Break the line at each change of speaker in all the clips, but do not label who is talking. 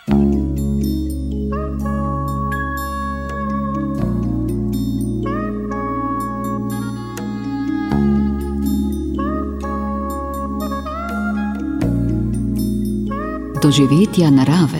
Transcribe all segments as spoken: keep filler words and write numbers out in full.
Doživetja narave.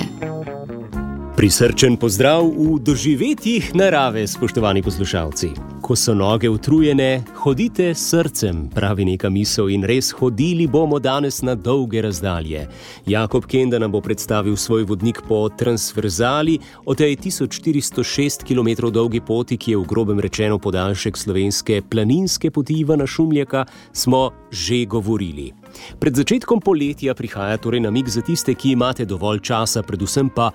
Prisrčen pozdrav v doživetjih narave, spoštovani poslušalci. Ko so noge utrujene, hodite s srcem, pravi neka misel, in res hodili bomo danes na dolge razdalje. Jakob Kenda nam bo predstavil svoj vodnik po transverzali, o tej tisoč štiristo šest kilometrov dolgi poti, ki je v grobem rečeno podaljšek slovenske planinske poti Ivana Šumljaka, smo že govorili. Pred začetkom poletja prihaja torej namig za tiste, ki imate dovolj časa, predvsem pa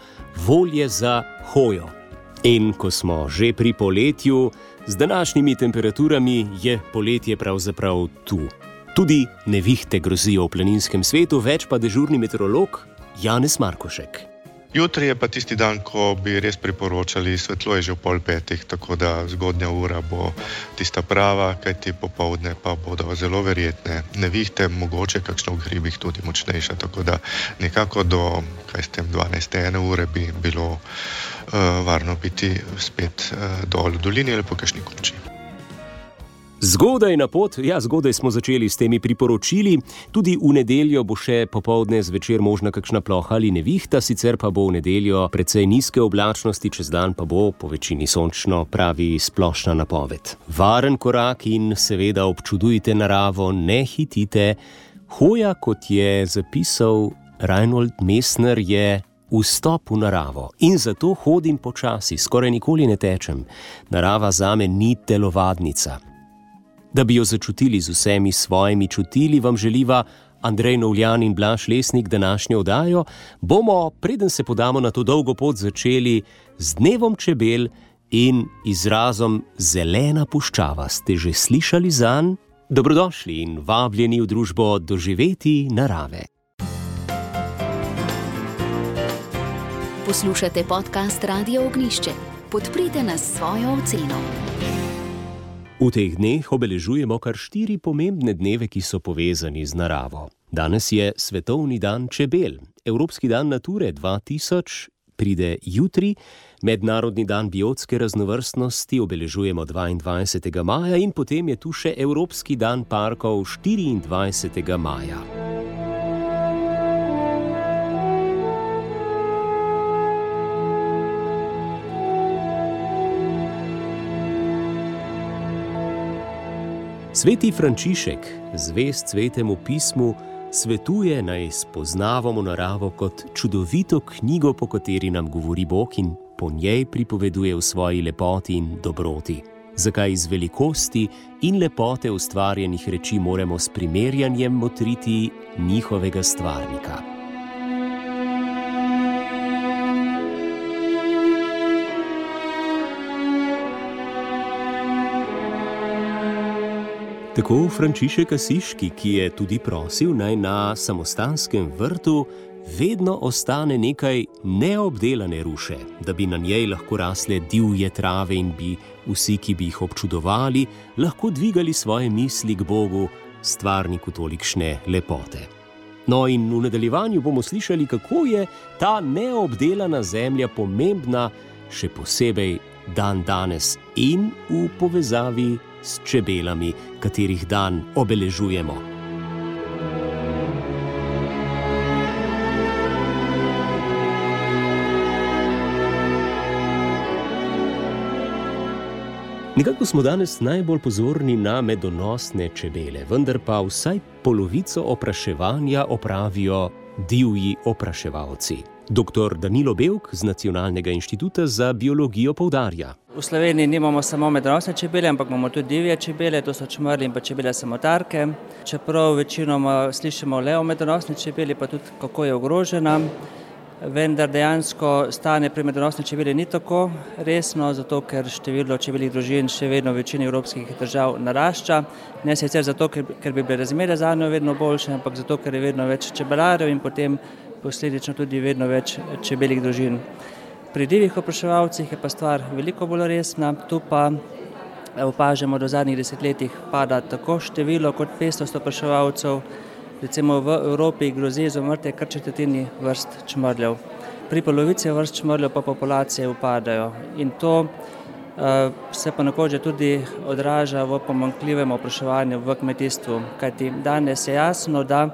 volje za hojo. In ko smo že pri poletju, z današnjimi temperaturami je poletje pravzaprav tu. Tudi nevihte grozijo v planinskem svetu, več pa dežurni meteorolog Janez Markošek.
Jutri je pa tisti dan, ko bi res priporočali, svetlo je že v pol petih, tako da zgodnja ura bo tista prava, kajti popoldne pa bodo zelo verjetne nevihte, mogoče kakšno v hribih tudi močnejša, tako da nekako do, kaj s tem, dvanajste ene ure bi bilo uh, varno biti spet uh, dol v dolini ali po kakšni koči.
Zgodaj na pot, ja, zgodaj smo začeli s temi priporočili, tudi v nedeljo bo še popoldne zvečer možna kakšna ploha ali nevihta, sicer pa bo v nedeljo precej nizke oblačnosti, čez dan pa bo po večini sončno, pravi splošna napoved. Varen korak in seveda občudujte naravo, ne hitite. Hoja, kot je zapisal Reinhold Messner, je vstop v naravo in zato hodim počasi, skoraj nikoli ne tečem. Narava zame ni telovadnica. Da bi jo začutili z vsemi svojimi čutili, vam želiva Andrej Novljan in Blaž Lesnik današnjo oddajo. Bomo, preden se podamo na to dolgo pot, začeli z dnevom čebel in izrazom zelena puščava. Ste že slišali zanj? Dobrodošli in vabljeni v družbo doživetij narave.
Poslušate podcast Radio Ognjišče. Podprite nas s svojo oceno.
V teh dneh obeležujemo kar štiri pomembne dneve, ki so povezani z naravo. Danes je Svetovni dan čebel, Evropski dan nature dva tisoč pride jutri, Mednarodni dan biotske raznovrstnosti obeležujemo dvaindvajsetega maja in potem je tu še Evropski dan parkov štiriindvajsetega maja. Sveti Frančišek, zvest Svetemu pismu, svetuje, naj spoznavamo naravo kot čudovito knjigo, po kateri nam govori Bog in po njej pripoveduje v svoji lepoti in dobroti. Zakaj iz velikosti in lepote ustvarjenih reči moramo s primerjanjem motriti njihovega stvarnika. Tako Frančišek Asiški, ki je tudi prosil, naj na samostanskem vrtu vedno ostane nekaj neobdelane ruše, da bi na njej lahko rasle divje trave in bi vsi, ki bi jih občudovali, lahko dvigali svoje misli k Bogu, stvarniku tolikšne lepote. No in v nadaljevanju bomo slišali, kako je ta neobdelana zemlja pomembna, še posebej dan danes in v povezavi s čebelami, katerih dan obeležujemo. Nekako smo danes najbolj pozorni na medonosne čebele, vendar pa vsaj polovico opraševanja opravijo divji opraševalci. Doktor Danilo Bevk z Nacionalnega inštituta za biologijo poudarja.
V Sloveniji nimamo samo medonosne čebele, ampak imamo tudi divje čebele, to so čmrlji in pa čebele samotarke. Čeprav večinoma slišimo le o medonosni čebeli, pa tudi kako je ogrožena, vendar dejansko stanje pri medonosni čebeli ni tako resno, zato ker število čebeljih družin še vedno v večini evropskih držav narašča. Ne sicer zato, ker, ker bi bile razmere zanjo vedno boljše, ampak zato, ker je vedno več čebelarjev in potem posledično tudi vedno več čebeljih družin. Pri divjih opraševalcih je pa stvar veliko bolj resna, tu pa opažamo, da v zadnjih desetletjih pada tako število kot pestrost opraševalcev. Recimo v Evropi grozi izumrtje kar četrtini vrst čmrljev. pri polovici vrst čmrljev pa populacije upadajo. In to uh, se pa nekoč tudi odraža v pomanjkljivem opraševanju v kmetijstvu. Kajti danes je jasno, da,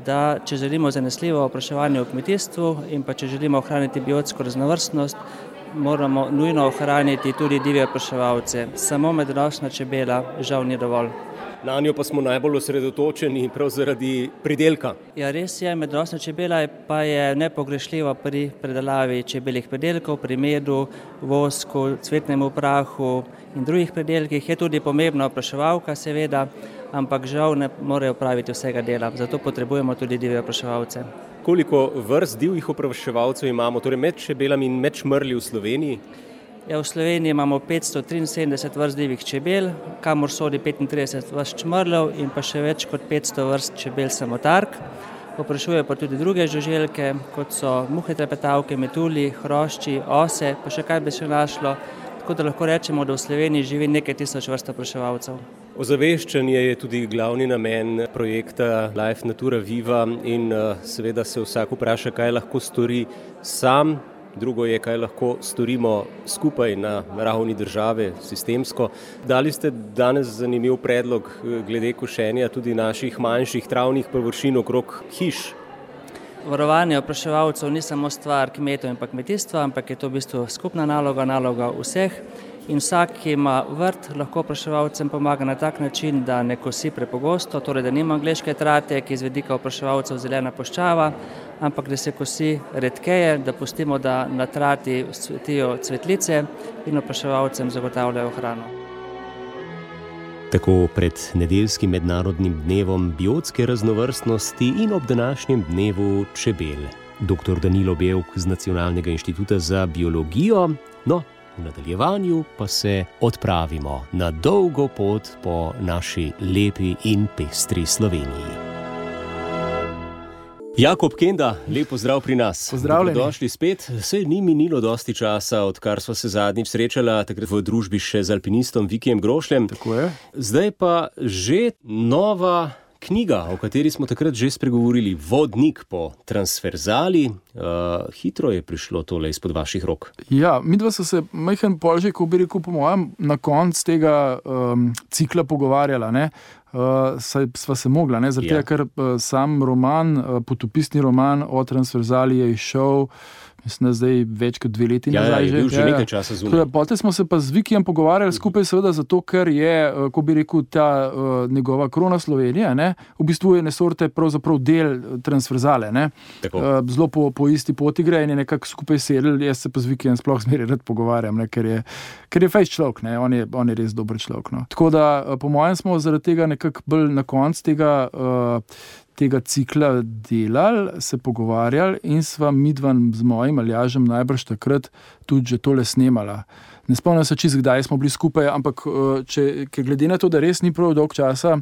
da če želimo zanesljivo opraševanje v kmetijstvu in pa če želimo ohraniti biotsko raznovrstnost, moramo nujno ohraniti tudi divje opraševalce. Samo medonosna čebela žal ni dovolj.
Na njo pa smo najbolj osredotočeni prav zaradi pridelka.
Ja, res je, medonosna čebela pa je nepogrešljiva pri predelavi čebeljih pridelkov, pri medu, vosku, cvetnem prahu in drugih pridelkih. Je tudi pomembna opraševalka, seveda, ampak žal ne morejo opraviti vsega dela, zato potrebujemo tudi divje opraševalce.
Koliko vrst divjih opraševalcev imamo, torej med čebelami in med čmrlji v Sloveniji?
Ja, v Sloveniji imamo petsto triinsedemdeset vrst divjih čebel, kamor sodi petintrideset vrst čmrljev in pa še več kot petsto vrst čebel samotark. Oprašujejo pa tudi druge žuželke, kot so muhe trepetavke, metulji, hrošči, ose, pa še kaj bi se našlo. Tako da lahko rečemo, da v Sloveniji živi nekaj tisoč vrst opraševalcev.
Ozaveščanje je tudi glavni namen projekta Life Natura Viva in seveda se vsak vpraša, kaj lahko stori sam. Drugo je, kaj lahko storimo skupaj na ravni države, sistemsko. Dali ste danes zanimiv predlog glede košenja tudi naših manjših travnih površin okrog hiš.
Varovanje opraševalcev ni samo stvar kmetov in pa kmetijstva, ampak je to v bistvu skupna naloga, naloga vseh. In vsak, ki ima vrt, lahko opraševalcem pomaga na tak način, da ne kosi prepogosto, torej da nima angleške trate, ki je z vidika opraševalcev zelena puščava, ampak da se kosi redkeje, da pustimo, da na trati cvetijo cvetlice in opraševalcem zagotavljajo hrano.
Tako pred nedeljskim mednarodnim dnevom biotske raznovrstnosti in ob današnjem dnevu čebel. Doktor Danilo Bevk z Nacionalnega inštituta za biologijo, no, v nadaljevanju pa se odpravimo na dolgo pot po naši lepi in pestri Sloveniji. Jakob Kenda, lep pozdrav pri nas.
Pozdravljeni.
Dobrodošli spet. Saj ni minilo dosti časa, odkar sva se zadnjič srečala, takrat v družbi še z alpinistom Vikijem Grošljem.
Tako je.
Zdaj pa že nova knjiga, o kateri smo takrat že spregovorili, Vodnik po transverzali. Uh, hitro je prišlo tole izpod vaših rok.
Ja, midva so se majhen polžek, ko bi rekel, po mojem, na konc tega um, cikla pogovarjala, ne? Uh, saj sva se mogla, ne? Zaradi
Ja.
tega, ker uh, sam roman, uh, potopisni roman o transverzali je izšel, mislim, da zdaj več kot dve leti
Ja,
nazaj
je bil že nekaj časa
Tako
zunaj.
da potem smo se pa z Vikijem pogovarjali skupaj seveda zato, ker je, uh, ko bi rekel, ta uh, njegova krona Slovenija, ne? V bistvu je Nesorte pravzaprav del uh, transverzale, ne?
Tako.
Uh, zelo po, po isti poti gre in je nekako skupaj sedel, jaz se pa z Vikijem sploh zmeraj rad pogovarjam, ne? Ker je, ker je fejst človek, ne? On je, on je res dober človek, no. Tako da, uh, po mojem smo zaradi tega nekako bolj na konc tega, uh, tega cikla delali, se pogovarjali in sva midva z mojim Aljažem najbrž takrat tudi že tole snemala. Ne spomnim se čisto, kdaj smo bili skupaj, ampak uh, če, ker glede na to, da res ni prav dolg časa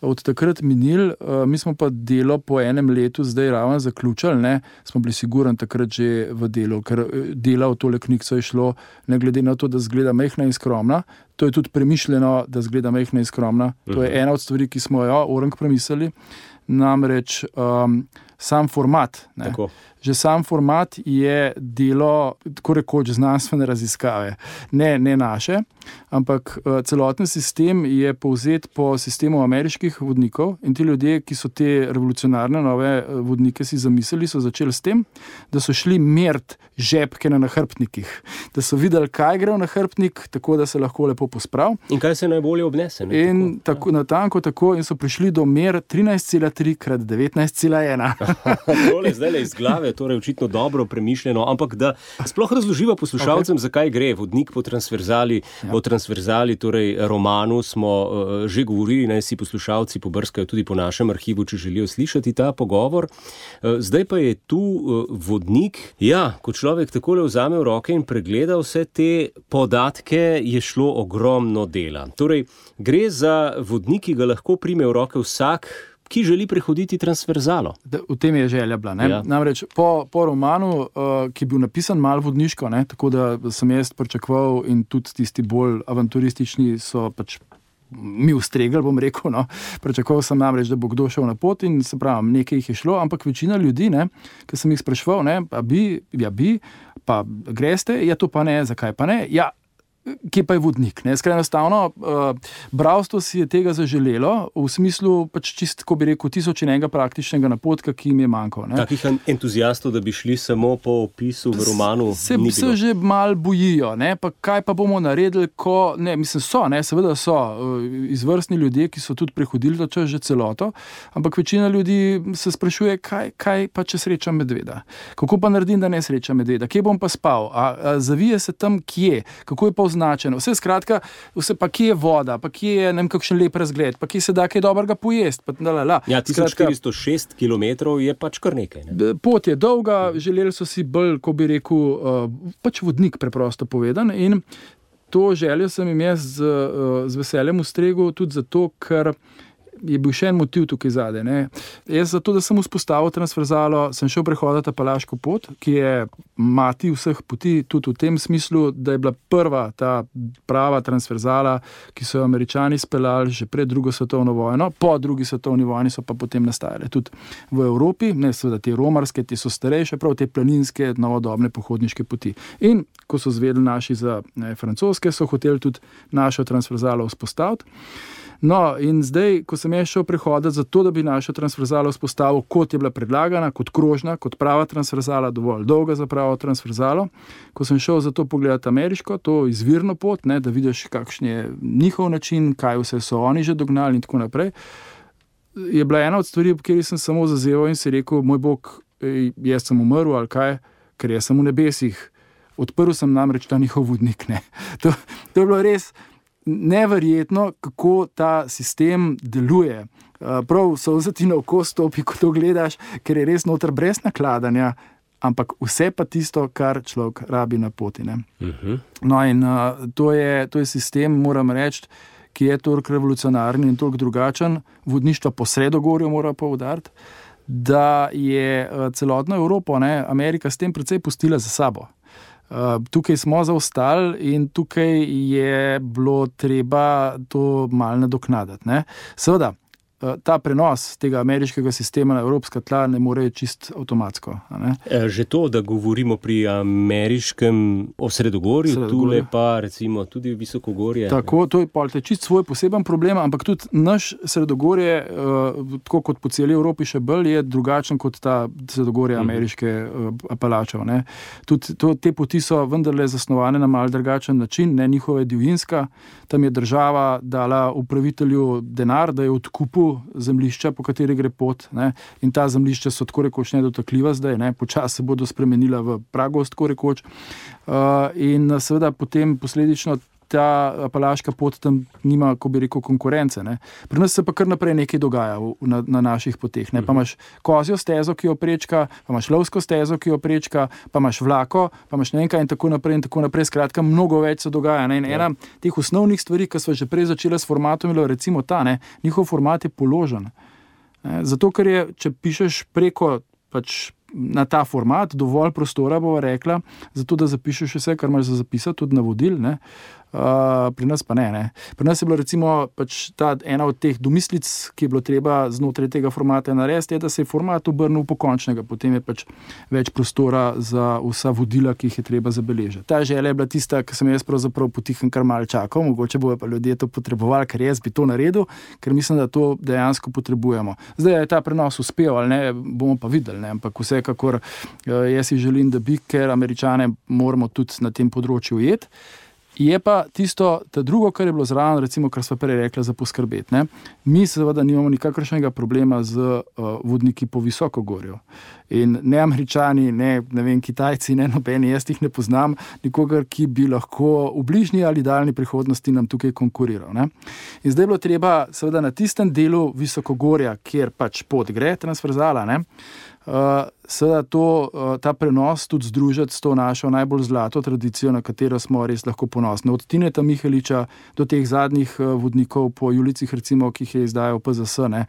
od takrat minil, uh, mi smo pa delo po enem letu zdaj ravno zaključili, ne, smo bili sigurni takrat že v delu, ker dela v tole knjigo je šlo, ne glede na to, da zgleda majhna in skromna, to je tudi premišljeno, da zgleda majhna in skromna, to je ena od stvari, ki smo jo orang premislili, namreč um, sam format, ne.
Tako.
Že sam format je delo, tako rekoč, znanstvene raziskave. Ne, ne naše, ampak uh, celoten sistem je povzet po sistemu ameriških vodnikov in ti ljudje, ki so te revolucionarne nove vodnike si zamislili, so začeli s tem, da so šli meriti žepke na nahrbtnikih, da so videli, kaj gre v nahrbtnik, tako da se lahko lepo posprav.
In kaj se najbolje obnese? Ne?
In tako, natanko tako in so prišli do mer trinajst cela tri krat devetnajst cela ena.
Tole zdaj le iz glave, torej očitno dobro premišljeno, ampak da sploh razloživa poslušalcem, okay, zakaj gre Vodnik po transverzali. Ja. O transverzali, torej romanu, smo uh, že govorili, naj si poslušalci pobrskajo tudi po našem arhivu, če želijo slišati ta pogovor. Uh, zdaj pa je tu uh, vodnik. Ja, ko človek takole vzame v roke in pregleda vse te podatke, je šlo ogromno dela. Torej, gre za vodnik, ki ga lahko prime v roke vsak, ki želi prehoditi transverzalo.
Da, v tem je želja bila. Ne?
Ja.
Namreč po, po romanu, uh, ki je bil napisan malo vodniško, ne? Tako da sem jaz pričakoval in tudi tisti bolj avanturistični so pač mi ustregli, bom rekel, no. Pričakoval sem namreč, da bo kdo šel na pot in se pravim, nekaj jih je šlo, ampak večina ljudi, ne, ki sem jih spraševal, ne, pa bi, ja bi, pa greste, ja to pa ne, zakaj pa ne, ja, kje pa je vodnik, ne, skraj enostavno, uh, bralstvo si je tega zaželelo, v smislu pač čist, ko bi rekel, tisoč in enega praktičnega napotka, ki jim je manjkal, ne.
Takih entuzijastov, da bi šli samo po opisu v romanu,
se,
ni bilo.
Se že mal bojijo, ne, pa kaj pa bomo naredili, ko, ne, mislim, so, ne, seveda so uh, izvrstni ljudje, ki so tudi prehodili to čas že celoto, ampak večina ljudi se sprašuje, kaj, kaj pa če srečam medveda, kako pa naredim, da ne srečam medveda, kje bom pa spal, a, a zavije se tam kje, kako je pa označeno. Vse skratka, vse pa kje je voda, pa kje je ne vem kakšen lep razgled, pa kje se da kaj dobrega pojesti. Pa, la, la, la.
Ja, tisoč štiristo šest kilometrov je pač kar nekaj. Ne?
Pot je dolga, želeli so si bolj, ko bi rekel, uh, pač vodnik preprosto povedan in to željo sem jim jaz z, uh, z veseljem ustregel tudi zato, ker je bil še en motiv tukaj zadaj. Ne. Jaz zato, da sem vzpostavil transverzalo, sem šel prehoditi Apalaško pot, ki je mati vseh poti, tudi v tem smislu, da je bila prva ta prava transverzala, ki so jo Američani speljali že pred drugo svetovno vojno, po drugi svetovni vojni so pa potem nastajale tudi v Evropi, ne seveda te romarske, te so starejše, prav te planinske, novodobne pohodniške poti. In ko so zvedeli naši za ne, francoske, so hoteli tudi našo transverzalo vzpostaviti. No, in zdaj, ko sem jaz šel prehoditi za to, da bi našo transverzalo vzpostavil, kot je bila predlagana, kot krožna, kot prava transverzala, dovolj dolga za pravo transverzalo, ko sem šel za to pogledati ameriško, to izvirno pot, ne, da vidiš, kakšen je njihov način, kaj vse so oni že dognali in tako naprej, je bila ena od stvari, ob kateri sem samo zazeval in si rekel, moj Bog, jaz sem umrl ali kaj, ker jaz sem v nebesih. Odprl sem namreč ta njihov vodnik. Ne. To, to je bilo res neverjetno, kako ta sistem deluje. Prav solza ti na oko stopi, ko to gledaš, ker je res noter brez nakladanja, ampak vse pa tisto, kar človek rabi na poti. Ne? Uh-huh. No in uh, to, je, to je sistem, moram reči, ki je toliko revolucionarni in toliko drugačen, vodništvo po Sredogorju mora poudariti, da je uh, celotno Evropo, ne, Amerika s tem precej pustila za sabo. Uh, tukaj smo zaostali in tukaj je bilo treba to malo nadoknaditi. Ne? Seveda, uh, ta prenos tega ameriškega sistema na evropska tla ne more čist avtomatsko. Ne?
Že to, da govorimo pri ameriškem o Sredogorju, tule pa recimo tudi Visokogorje.
Tako, to je pa čist svoj poseben problem, ampak tudi naš Sredogorje, uh, tako kot po celi Evropi še bolj, je drugačen kot ta Sredogorje uh-huh. ameriške uh, Apalačev. Ne? Tudi to, te poti so vendarle zasnovane na mal drugačen način, ne njihova divjinska. Tam je država dala upravitelju denar, da je odkupil zemljišča, po kateri gre pot. Ne? In ta zemljišča so tako rekoč nedotakljiva zdaj, ne? Počas se bodo spremenila v pragost, tako rekoč. Uh, in seveda potem posledično ta Apalaška pot tam nima, ko bi rekel, konkurence. Ne? Pri nas se pa kar naprej nekaj dogaja v, na, na naših poteh. Ne? Pa imaš kozjo stezo, ki jo prečka, pa imaš lovsko stezo, ki jo prečka, pa imaš vlako, pa imaš ne vem kaj in tako naprej in tako naprej. Skratka, mnogo več se dogaja. Ne? In ena teh osnovnih stvari, ki smo že prej začeli s formatom, je recimo ta, ne? Njihov format je položen. Ne? Zato, ker je, če pišeš preko pač na ta format, dovolj prostora bova rekla, zato da zapišeš vse, kar imaš za zapisati, tudi navodil, ne. Uh, pri nas pa ne, ne. Pri nas je bilo recimo pač ta ena od teh domislic, ki je bilo treba znotraj tega formata narediti, je, da se je format obrnil pokončnega, potem je pač več prostora za vsa vodila, ki jih je treba zabeležiti. Ta želja je bila tista, ki sem jaz pravzaprav potihem kar malo čakal, mogoče bojo pa ljudje to potrebovali, ker jaz bi to naredil, ker mislim, da to dejansko potrebujemo. Zdaj je ta prenos uspel, ali ne, bomo pa videli, ne, ampak vsekakor jaz si želim, da bi, ker Američane moramo tudi na tem področju ujeti. Je pa tisto, ta drugo, kar je bilo zraven, recimo, kar sva prej rekla, za poskrbeti. Ne? Mi seveda nimamo nikakršnega problema z uh, vodniki po Visokogorju. In ne Američani, ne, ne vem, Kitajci, ne nobeni, jaz jih ne poznam, nikogar, ki bi lahko v bližnji ali daljni prihodnosti nam tukaj konkuriral. Ne? In zdaj je bilo treba seveda na tistem delu Visokogorja, kjer pač pot gre, transverzala, ne? Uh, seveda to, uh, ta prenos tudi združiti s to našo najbolj zlato tradicijo, na katero smo res lahko ponosni. Od Tineta Miheliča do teh zadnjih uh, vodnikov po Julicih, recimo, ki jih je izdajal P Z S. Ne.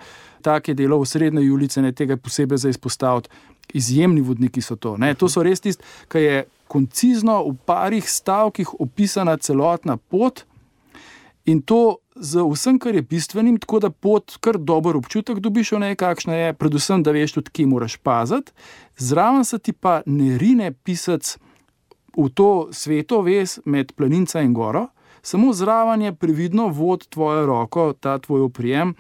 Tak je delo v srednje Julice, ne, tega posebej za izpostaviti. Izjemni vodniki so to. Ne. To so res tisti, ki je koncizno v parih stavkih opisana celotna pot in to z vsem, kar je bistvenim, tako da pot kar dober občutek dobiš o njej, kakšna je, predvsem, da veš tudi, kje moraš paziti. Zraven se ti pa ne rine pisac v to sveto vez med planinca in goro, samo zraven je previdno vod tvojo roko, ta tvoj oprijem,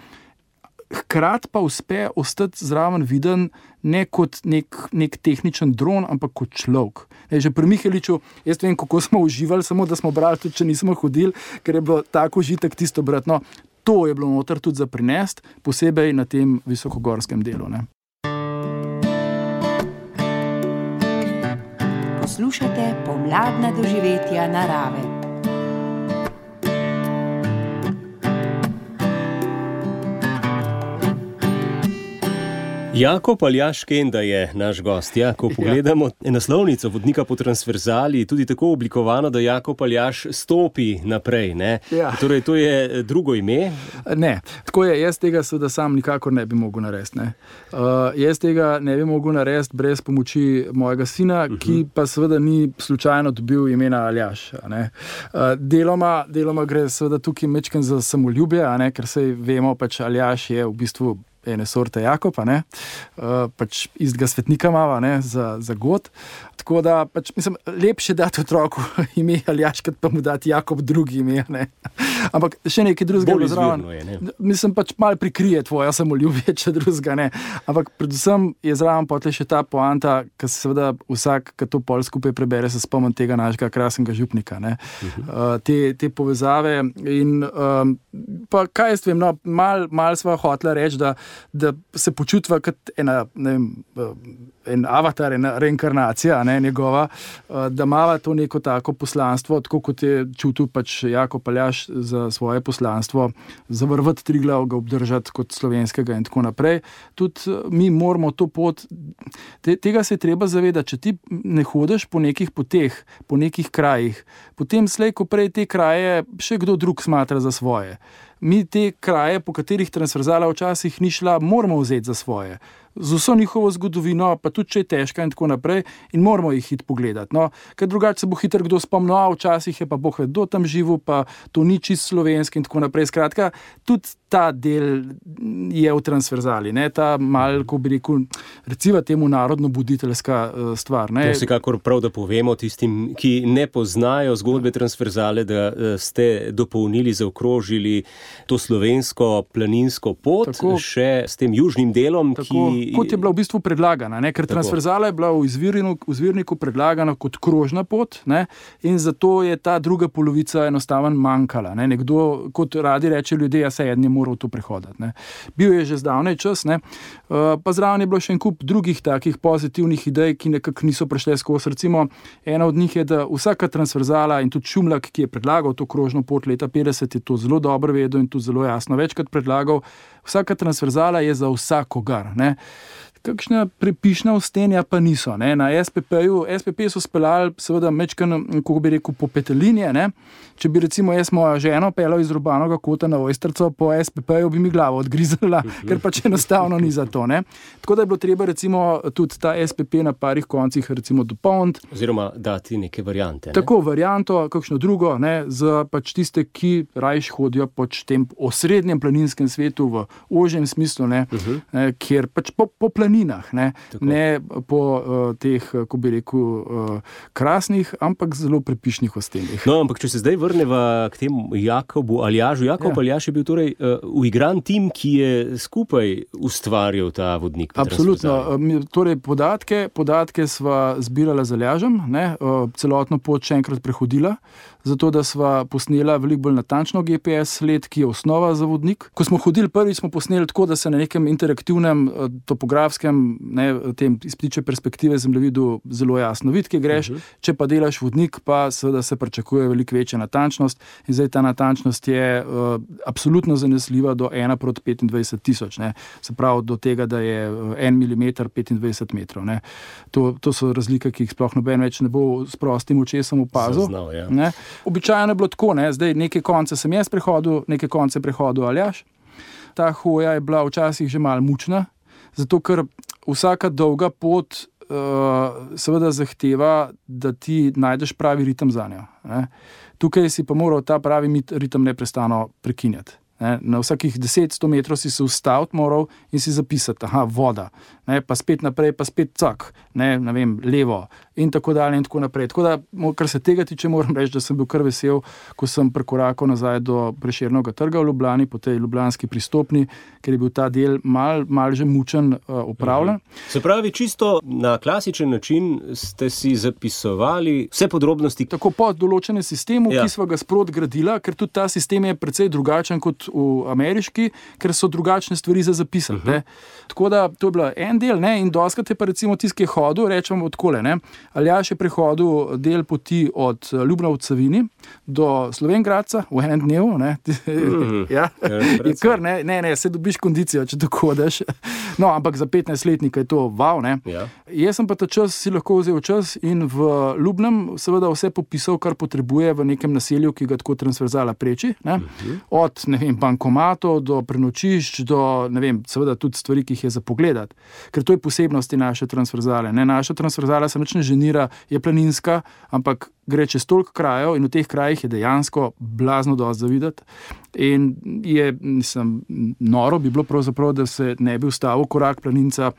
hkrati pa uspe ostati zraven viden ne kot nek, nek tehničen dron, ampak kot človek. Ne, že pri Miheliču, jaz vem, kako smo uživali, samo da smo brali, tudi če nismo hodili, ker je bilo tako užitek tisto brati. No, to je bilo noter tudi za prinest, posebej na tem visokogorskem delu. Ne.
Poslušate pomladna doživetja narave.
Jakob Aljaž Kenda je naš gost. Ja, ko pogledamo ja. naslovnico vodnika po transverzali, tudi tako oblikovano, da Jakob Aljaž stopi naprej. Ne? Ja. Torej, to je drugo ime?
Ne, tako je. Jaz tega seveda sam nikakor ne bi mogel narediti. Ne? Uh, jaz tega ne bi mogel narediti brez pomoči mojega sina, uh-huh. ki pa seveda ni slučajno dobil imena Aljaž. Uh, deloma, deloma gre seveda tukaj mečken za samoljubje, a ne? Ker sej vemo, pač Aljaž je v bistvu ene sorte Jakoba, ne, uh, pač istega svetnika mava, ne, za, za god. Tako da, pač, mislim, lepše dati otroku ime Aljaž, kot pa mu dati Jakob drugi ime, ne. Ampak še nekaj drugega je zraven. Mislim, pač malo prikrije tvoja samoljubje, če drugega ne. Ampak predvsem je zraven potle še ta poanta, ki se seveda vsak, ki to pol skupaj prebere, se spomni tega našega krasnega župnika, ne. Uh, te, te povezave in um, pa kaj jaz vem, no, mal, mal sva hotela reči, da da se počutva kot ena, ne vem, en avatar, ena reinkarnacija, ne, njegova, da mava to neko tako poslanstvo, tako kot je čutil pač Jakob Aljaž za svoje poslanstvo, zavrvati Triglav, ga obdržati kot slovenskega in tako naprej. Tudi mi moramo to pot, te, tega se je treba zavedati, če ti ne hodiš po nekih poteh, po nekih krajih, potem slej, ko prej te kraje še kdo drug smatra za svoje. Mi te kraje, po katerih transverzala včasih ni šla, moramo vzeti za svoje. Z vso njihovo zgodovino, pa tudi če je težka in tako naprej, in moramo jih hiti pogledati. No, ker drugače se bo hitro kdo spomnil, a včasih je pa Bog ve, kdo tam živel, pa to ni čist slovenski in tako naprej. Skratka, tudi ta del je v transverzali, ne, ta mal, ko bi rekel, recimo temu narodno-buditeljska uh, stvar. Ne.
To je vsekakor prav, da povemo tistim, ki ne poznajo zgodbe transverzale, da uh, ste dopolnili, zaokrožili to slovensko planinsko pot, tako, še s tem južnim delom,
tako, ki kot je bila v bistvu predlagana, ne? Ker tako. Transverzala je bila v izvirniku, v izvirniku predlagana kot krožna pot, ne? In zato je ta druga polovica enostavno manjkala. Ne? Nekdo, kot radi reče ljudje, ja se eden je moral to prehoditi. Ne? Bil je že zdavnej čas, ne? Uh, pa zraven je bilo še en kup drugih takih pozitivnih idej, ki nekako niso prešle skozi. Recimo, ena od njih je, da vsaka transverzala in tudi Šumlak, ki je predlagal to krožno pot leta petdeset, je to zelo dobro vedel in tudi zelo jasno večkrat predlagal. Vsaka transverzala je za vsakogar, ne. Kakšna prepišna ustenja pa niso, ne. Na S P P-ju, S P P so speljali seveda mečkan, kako bi rekel, po petelinje, ne. Če bi recimo jaz mojo ženo peljal iz Urbanovega kota na Ojstrico, po S P P-ju bi mi glavo odgrizala, ker pač enostavno ni za to, ne. Tako da je bilo treba recimo tudi ta S P P na parih koncih recimo dopolniti.
Oziroma dati neke variante. Ne?
Tako varianto, kakšno drugo, ne, za pač tiste, ki rajš hodijo pač tem osrednjem planinskem svetu v ožjem smislu, ne, uh-huh. ne, kjer pač po, po planinah, ne, ne po uh, teh, ko bi rekel, uh, krasnih, ampak zelo prepišnih ostenih.
No, ampak če se zdaj vrneva k temu Jakobu Aljažu. Jakob ja. Aljaž je bil torej uh, uigran tim, ki je skupaj ustvarjal ta vodnik.
Absolutno. Torej, podatke, podatke sva zbirala z Aljažem, ne, uh, celotno pot še enkrat prehodila, zato da sva posnela veliko bolj natančno G P S sled, ki je osnova za vodnik. Ko smo hodili prvič, smo posneli tako, da se na nekem interaktivnem topografskem, ne, tem iz ptičje perspektive zemljevidu zelo jasno vidi, kje greš. Uh-huh. Če pa delaš vodnik, pa seveda se pričakuje veliko večja natančnost in zdaj ta natančnost je uh, absolutno zanesljiva do ena proti petindvajset tisoč, ne. Se pravi do tega, da je en milimeter petindvajset metrov, ne. To, to so razlike, ki jih sploh noben več ne bo s prostim očesom opazil.
Zaznal, ja.
Ne. Običajno je bilo tako, ne, zdaj neke konce sem jaz prehodil, neke konce prehodil Aljaž. Ta hoja je bila včasih že malo mučna, zato ker vsaka dolga pot uh, seveda zahteva, da ti najdeš pravi ritem za njo. Ne. Tukaj si pa moral ta pravi ritem neprestano prekinjati. Ne. Na vsakih deset do sto metrov si se ustaviti moral in si zapisati, aha, voda, ne, pa spet naprej, pa spet cak, ne, ne vem, levo in tako dalje in tako naprej. Tako da, kar se tega tiče, moram reči, da sem bil kar vesel, ko sem prekorakal nazaj do Prešernovega trga v Ljubljani, po tej ljubljanski pristopni, ker je bil ta del mal, mal že mučen uh, upravljen.
Se pravi, čisto na klasičen način ste si zapisovali vse podrobnosti.
Tako pod določenem sistemu,
ja.
ki sva ga sprot gradila, ker tudi ta sistem je precej drugačen kot v ameriški, ker so drugačne stvari za zapisati. Uh -huh. Tako da to je bilo en del, ne, in doskrat je pa recimo tisti, ki je hodil, rečemo odkole, ne. Aljaž je prehodil del poti od Ljubna v Savini do Slovenj Gradca v enem dnevu, ne. Mm. ja. In kar, ne, ne, ne, se dobiš kondicijo, če tako hodeš. No, ampak za petnajstletnika je to wow, ne.
Ja.
Jaz sem pa ta čas si lahko vzel čas in v Ljubnem seveda vse popisal, kar potrebuje v nekem naselju, ki ga tako transverzala preči, ne. Mm-hmm. Od, ne vem, bankomatov do prenočišč, do, ne vem, seveda tudi stvari, ki jih je za pogledati. Ker to je posebnosti naše transverzale. Ne? Naša transverzala se nič ne ženira, je planinska, ampak gre čez toliko krajev in v teh krajih je dejansko blazno dosti za videti. In je, mislim, noro bi bilo pravzaprav, da se ne bi ustavil korak planinca,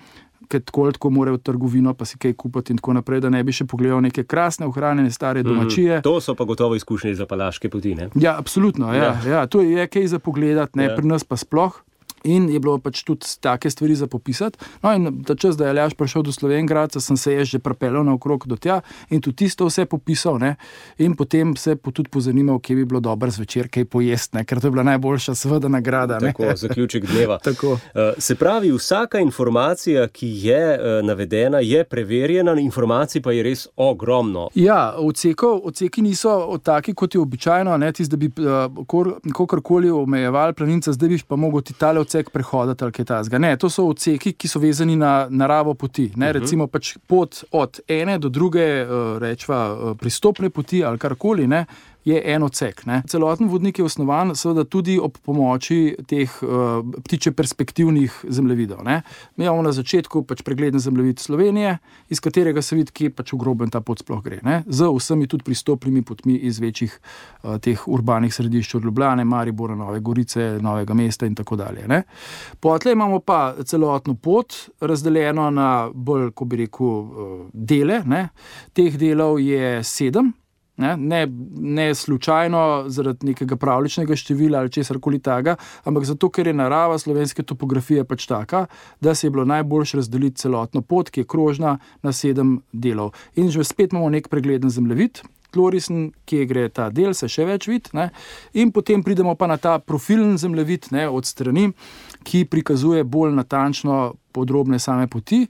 ker tako tako more v trgovino, pa si kaj kupiti in tako naprej, da ne bi še pogledal neke krasne, ohranjene stare domačije.
Mm, to so pa gotovo izkušnje za Palaške poti, ne?
Ja, absolutno, ja, ja. ja to je kaj za pogledati, ne, ja. Pri nas pa sploh. In je bilo pač tudi take stvari za popisati. No in ta čas, da je Aljaž prišel do Slovenj Gradca, sem se jaz že pripeljal naokrog do tja in tudi tisto vse popisal, ne. In potem se tudi pozanimal, kje bi bilo dobro zvečer, kaj pojesti, ne, ker to je bila najboljša seveda nagrada. Ne.
Tako, zaključek dneva.
Tako.
Uh, se pravi, vsaka informacija, ki je uh, navedena, je preverjena, informacij pa je res ogromno.
Ja, odsekov, odseki niso taki, kot je običajno, ne, tist, da bi uh, kakorkoli omejevali planinca, zdaj bi pa mogel ti tale odsek prehodati ali kaj tazga. Ne, to so odseki, ki so vezani na naravo poti. Ne, uh-huh. Recimo pač pot od ene do druge, uh, rečva, uh, pristopne poti ali karkoli, ne, je en odsek. Ne. Celoten vodnik je osnovan seveda tudi ob pomoči teh uh, ptiče perspektivnih zemljevidov. Ne. Mi imamo na začetku pač pregleden zemljevid Slovenije, iz katerega se vidi, kje pač v grobem ta pot sploh gre. Ne. Z vsemi tudi pristopnimi potmi iz večjih uh, teh urbanih središč od Ljubljane, Maribora, Nove Gorice, Novega mesta in tako dalje. Ne. Potlej imamo pa celotno pot razdeljeno na bolj, ko bi rekel, uh, dele. Ne. Teh delov je sedem. Ne, ne, ne slučajno zaradi nekega pravličnega števila ali česarkoli takega, ampak zato, ker je narava slovenske topografije pač taka, da se je bilo najboljše razdeliti celotno pot, ki je krožna, na sedem delov. In že spet imamo nek pregleden zemljevid, tlorisen, kje gre ta del, se še več vidi, ne, in potem pridemo pa na ta profilen zemljevid, ne, od strani, ki prikazuje bolj natančno podrobne same poti,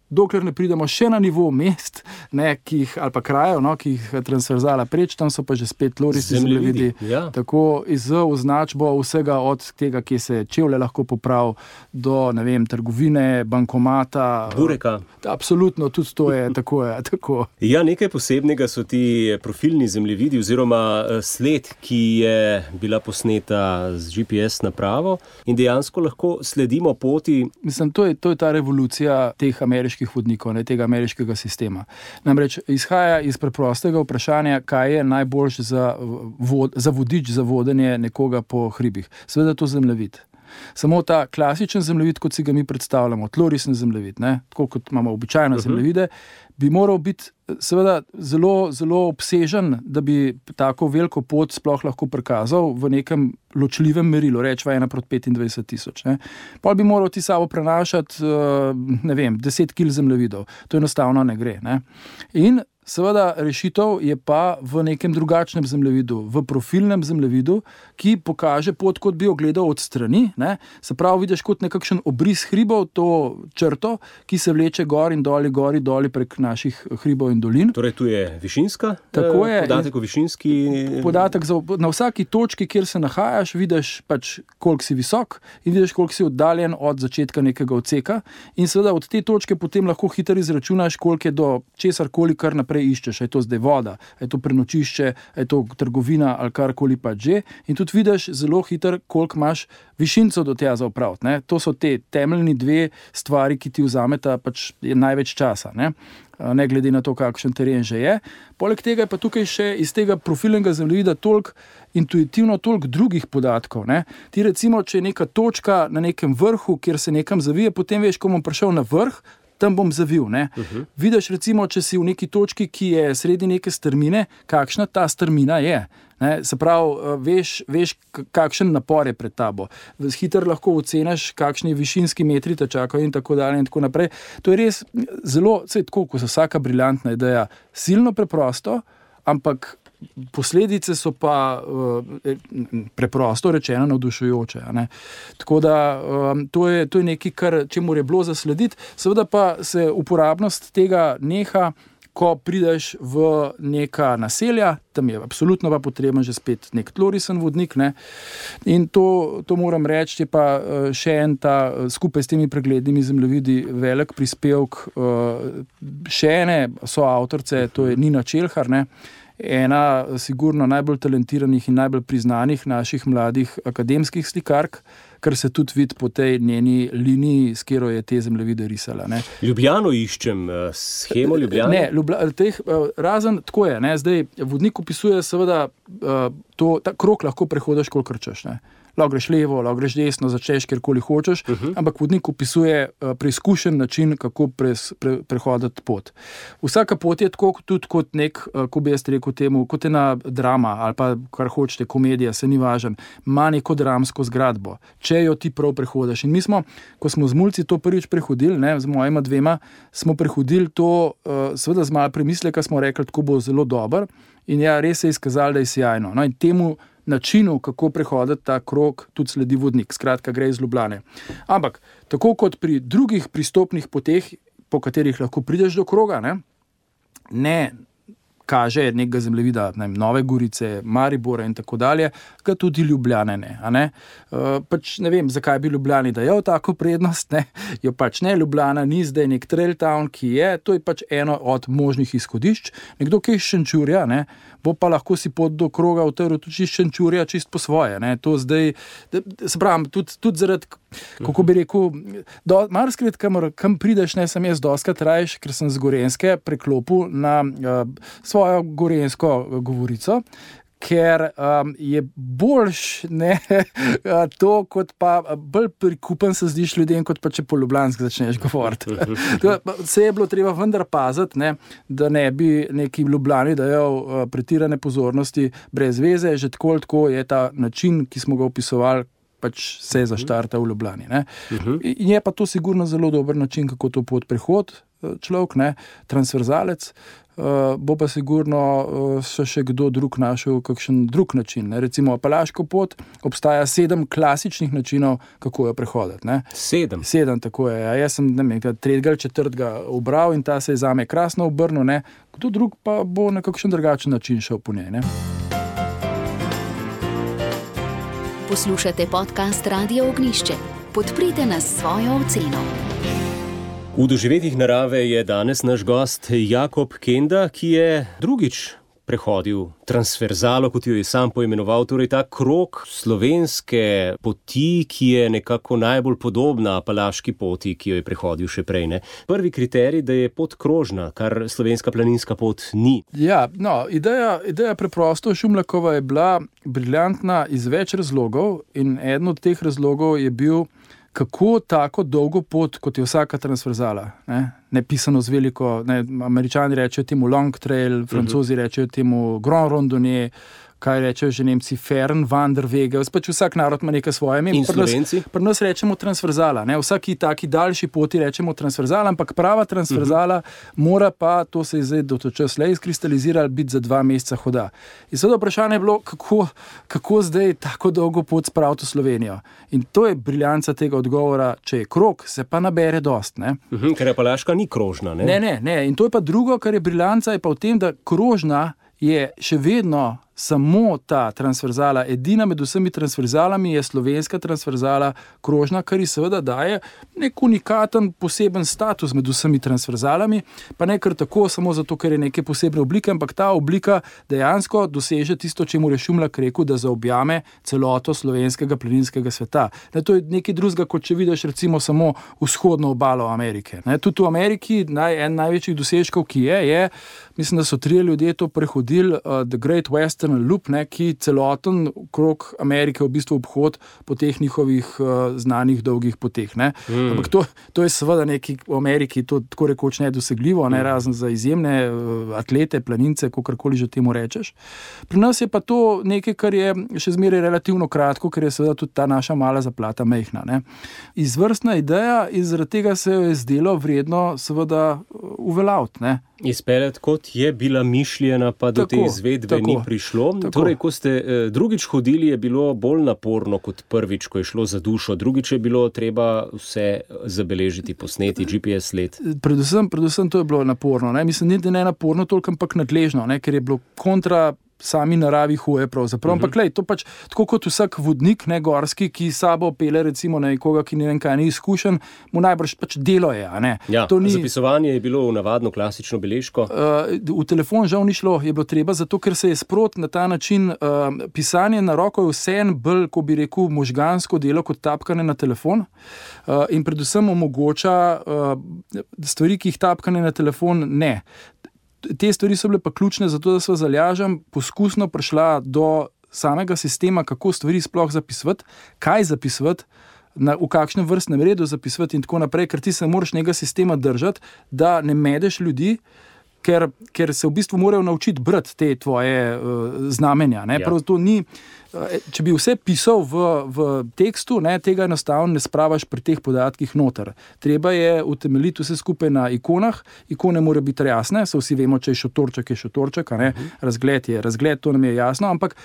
dokler ne pridemo še na nivo mest, ne, ki jih, ali pa krajev, no, ki jih transverzala preč, tam so pa že spet tlorisi zemljevidi.
Ja.
Tako z označbo vsega od tega, kje se čevlje lahko popravi, do, ne vem, trgovine, bankomata.
Bureka.
Absolutno, tudi to je tako. Je, tako.
Ja, nekaj posebnega so ti profilni zemljevidi oziroma sled, ki je bila posneta z G P S napravo in dejansko lahko sledimo poti.
Mislim, to je, to je ta revolucija teh ameriških vodnikov, ne, tega ameriškega sistema. Namreč izhaja iz preprostega vprašanja, kaj je najboljše za, vod, za vodič, za vodenje nekoga po hribih. Seveda to zemljevid. Samo ta klasičen zemljevid, kot si ga mi predstavljamo, tlorisen zemljevid, ne, tako kot imamo običajno uh-huh. zemljevide, bi moral biti seveda zelo, zelo obsežen, da bi tako veliko pot sploh lahko prikazal v nekem ločljivem merilu, rečva ena proti petindvajset tisoč. Ne. Pol bi moral ti sabo prenašati, ne vem, deset kil zemljevidov. To enostavno ne gre. Ne. In seveda rešitev je pa v nekem drugačnem zemljevidu, v profilnem zemljevidu, ki pokaže pot, kot bi jo gledal od strani. Ne. Se pravi, vidiš kot nekakšen obris hribov, to črto, ki se vleče gor in doli, gori, doli prek naših hribov in dolin.
Torej, tu je višinska,
Tako je,
podatek o višinski.
Podatek za, na vsaki točki, kjer se nahajaš, vidiš pač, koliko si visok in vidiš, koliko si oddaljen od začetka nekega odseka. In seveda od te točke potem lahko hitro izračunaš, koliko je do česarkoli, kar naprej naprej iščeš, je to zdaj voda, je to prenočišče, je to trgovina ali karkoli pa že. In tudi vidiš zelo hitro, koliko imaš višincev do tega za opraviti. Ne? To so te temeljni dve stvari, ki ti vzameta pač največ časa. Ne? ne glede na to, kakšen teren že je. Poleg tega je pa tukaj še iz tega profilnega zemljevida toliko intuitivno, toliko drugih podatkov. Ne? Ti recimo, če je neka točka na nekem vrhu, kjer se nekam zavije, potem veš, ko bom prišel na vrh, tam bom zavil. Ne? Uh-huh. Vidiš recimo, če si v neki točki, ki je sredi neke strmine, kakšna ta strmina je. Ne? Se pravi, veš, veš, kakšen napor je pred tabo. Hitro lahko oceniš, kakšni višinski metri te čakajo in tako dalje in tako naprej. To je res zelo, saj tako, ko so vsaka briljantna ideja, silno preprosto, ampak posledice so pa uh, preprosto rečeno navdušujoče. Ne? Tako da um, to, je, to je nekaj, kar čemu je bilo zaslediti. Seveda pa se uporabnost tega neha, ko prideš v neka naselja, tam je absolutno pa potreben že spet nek tlorisen vodnik. Ne? In to, to moram reči, je pa še en ta skupaj s temi preglednimi zemljevidi velik prispevk uh, še ene soavtorce, to je Nina Čelhar, ne? Ena sigurno najbolj talentiranih in najbolj priznanih naših mladih akademskih slikark, kar se tudi vidi po tej njeni liniji, s katero je te zemljevide risala. Ne.
Ljubljano iščem, shemo Ljubljane?
Ne, Ljubla, teh, razen tako je. Ne. Zdaj, vodnik opisuje seveda, to, ta krog lahko prehodiš, kolikor češ. Ne. Lahko greš levo, lahko greš desno, začneš kjerkoli hočeš, uh-huh. ampak vodnik opisuje uh, preizkušen način, kako pres, pre, prehoditi pot. Vsaka pot je tako tudi kot nek, uh, ko bi jaz rekel temu, kot ena drama ali pa kar hočete, komedija, se ni važen, ima neko dramsko zgradbo, če jo ti prav prehodiš. In mi smo, ko smo z mulci to prvič prehodili, ne, z mojima dvema, smo prehodili to uh, seveda z malo premisleka, smo rekli, tako bo zelo dober in ja, res se je izkazalo, da je sjajno. No, in temu načinu, kako prehoditi ta krog, tudi sledi vodnik. Skratka, gre iz Ljubljane. Ampak, tako kot pri drugih pristopnih poteh, po katerih lahko prideš do kroga, ne, ne kaže nekega zemljevida, ne, Nove Gorice, Maribora in tako dalje, ga tudi Ljubljane ne. A ne? Uh, pač ne vem, zakaj bi Ljubljani dajal tako prednost, ne? Jo pač ne, Ljubljana ni zdaj nek trail town, ki je, to je pač eno od možnih izhodišč. Nekdo, ki je iz Šenčurja, ne, bo pa lahko si pot do kroga utrl tudi iz Šenčurja čist po svoje. Ne? To zdaj, se pravim, tudi, tudi zaradi, kako bi rekel, marsikrat, kam, kam prideš, ne, sem jaz doskrat rajš, ker sem z Gorenjske preklopil na uh, svojo gorenjsko govorico, ker um, je boljš ne, to, kot pa bolj prikupen se zdiš ljudem, kot pa če po ljubljanski začneš govoriti. Se je bilo treba vendar paziti, ne, da ne bi neki Ljubljani dajal uh, pretirane pozornosti brez veze, že tako tako je ta način, ki smo ga opisovali, pač se je zaštartal v Ljubljani. Ne. In je pa to sigurno zelo dober način, kako to pot prehod človek, ne, transverzalec. Uh, bo pa sigurno uh, še, še kdo drug našel kakšen drug način. Ne? Recimo Apalaško pot obstaja sedem klasičnih načinov, kako jo prehoditi. Ne?
Sedem?
Sedem, tako je. Ja, jaz sem ne vem, tretjega ali četrtega ubral in ta se je zame krasno obrnil. Ne? Kdo drug pa bo na kakšen drugačen način šel po njej. Ne?
Poslušate podcast Radio Ognjišče. Podprite nas s svojo oceno.
V doživetjih narave je danes naš gost Jakob Kenda, ki je drugič prehodil transverzalo, kot jo je sam poimenoval, torej ta krog slovenske poti, ki je nekako najbolj podobna apalaški poti, ki jo je prehodil še prej. Ne? Prvi kriterij, da je pot krožna, kar slovenska planinska pot ni. Ja,
no, ideja, ideja preprosto Šumlakova je bila briljantna iz več razlogov in eden od teh razlogov je bil, kako tako dolgo pot, kot je vsaka transverzala, ne, ne pisano z veliko, ne, Američani rečejo temu long trail, Francozi uh-huh. rečejo temu grand randonnée, kaj rečejo že Nemci, Fern, Wanderwege, pač vsak narod ima nekaj svoje.
In Slovenci?
Pri nas rečemo transverzala, ne, vsaki taki daljši poti rečemo transverzala, ampak prava transverzala uh-huh. mora pa, to se je zdaj do to čas le izkristaliziralo, biti za dva meseca hoda. In seveda vprašanje je bilo, kako, kako zdaj tako dolgo pot spraviti v Slovenijo. In to je briljanca tega odgovora, če je krog, se pa nabere dost. Ne.
Uh-huh, ker Apalaška ni krožna. Ne?
ne, ne, ne. In to je pa drugo, kar je briljanca, je pa v tem, da krožna je še vedno samo ta transverzala, edina med vsemi transverzalami je slovenska transverzala krožna, kar ji seveda daje nek unikaten poseben status med vsemi transverzalami, pa ne kar tako, samo zato, ker je neke posebne oblike, ampak ta oblika dejansko doseže tisto, čemu je Šumlak rekel, da zaobjame celoto slovenskega planinskega sveta. Ne, to je nekaj drugega, kot če vidiš recimo samo vzhodno obalo Amerike. Ne, tudi v Ameriki naj, en največjih dosežkov, ki je, je, mislim, da so trije ljudje to prehodili, uh, The Great Western Loop, ne, ki celoten krog Amerike v bistvu obhod po teh njihovih uh, znanih dolgih poteh. Ne. Mm. Ampak to, to je seveda nekaj v Ameriki, to tako rekoč nedosegljivo, ne, razen za izjemne uh, atlete, planince, kakorkoli že temu rečeš. Pri nas je pa to nekaj, kar je še zmeraj relativno kratko, ker je seveda tudi ta naša mala zaplata mejhna. Ne. Izvrstna ideja in zaradi tega se je zdelo vredno seveda uveljaviti, ne.
Izpeljati, kot je bila mišljena, pa do tako, te izvedbe tako, ni prišlo. Tako. Torej, ko ste eh, drugič hodili, je bilo bolj naporno kot prvič, ko je šlo za dušo. Drugič je bilo treba vse zabeležiti, posneti, G P S sled.
Predvsem, predvsem to je bilo naporno. Ne? Mislim, ni, da ne naporno, toliko ampak nadležno, ne? Ker je bilo kontra sami naravi hoje pravzaprav. Ampak uh-huh. lej, to pač tako kot vsak vodnik, ne, gorski, ki sabo pele recimo na nekoga, ki ne vem kaj ni izkušen, mu najbrž pač delo je, a ne.
Ja,
to ni,
zapisovanje je bilo v navadno klasično beležko.
Uh, v telefon žal ni šlo, je bilo treba, zato ker se je sprot na ta način uh, pisanje na roko je vseeno bolj, ko bi rekel, možgansko delo kot tapkanje na telefon uh, in predvsem omogoča uh, stvari, ki jih tapkanje na telefon ne. Te stvari so bile pa ključne, zato da sva z Aljažem poskusno prišla do samega sistema, kako stvari sploh zapisovati, kaj zapisovati, na, v kakšnem vrstnem redu zapisovati in tako naprej, ker ti se moraš njega sistema držati, da ne medeš ljudi, ker, ker se v bistvu morajo naučiti brati te tvoje uh, znamenja. Ne? Ja. Prav to ni, uh, če bi vse pisal v, v tekstu, ne, tega enostavno ne spravaš pri teh podatkih noter. Treba je utemeljiti vse skupaj na ikonah, ikone mora biti jasne, so vsi vemo, če je šotorček, je šotorček, a ne? Uh-huh. Razgled je razgled, to nam je jasno, ampak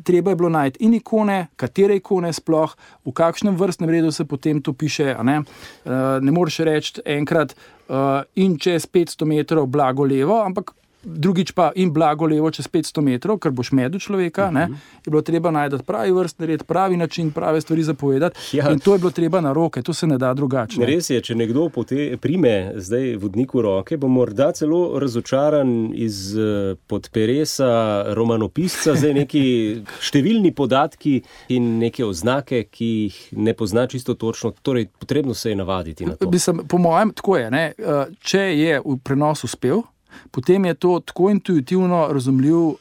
treba je bilo najti in ikone, katere ikone sploh, v kakšnem vrstnem redu se potem to piše, a ne? Uh, ne moreš reči enkrat, Uh, in čez petsto metrov blago levo, ampak drugič pa in blago levo čez petsto metrov, ker boš medel človeka, uh-huh. ne, je bilo treba najti pravi vrstni red, pravi način, prave stvari zapovedati ja. In to je bilo treba na roke, to se ne da drugače.
Res je, če nekdo pote, prime zdaj vodniku roke, bo morda celo razočaran iz uh, podperesa romanopisca, zdaj neki številni podatki in neke oznake, ki jih ne pozna čisto točno, torej potrebno se je navaditi na to.
Mislim, po mojem, tako je, ne, uh, če je v prenos uspel, potem je to tako intuitivno razumljiv uh,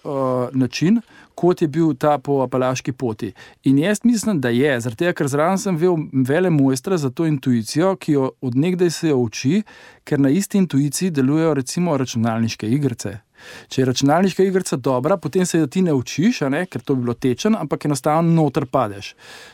način, kot je bil ta po Apalaški poti. In jaz mislim, da je, zaradi tega, ker zraven sem vel vele mojstra za to intuicijo, ki jo od nekdaj se jo uči, ker na isti intuiciji delujejo recimo računalniške igrice. Če je računalniška igrica dobra, potem se jo ti ne učiš, a ne, ker to bi bilo tečen, ampak enostavno noter padeš.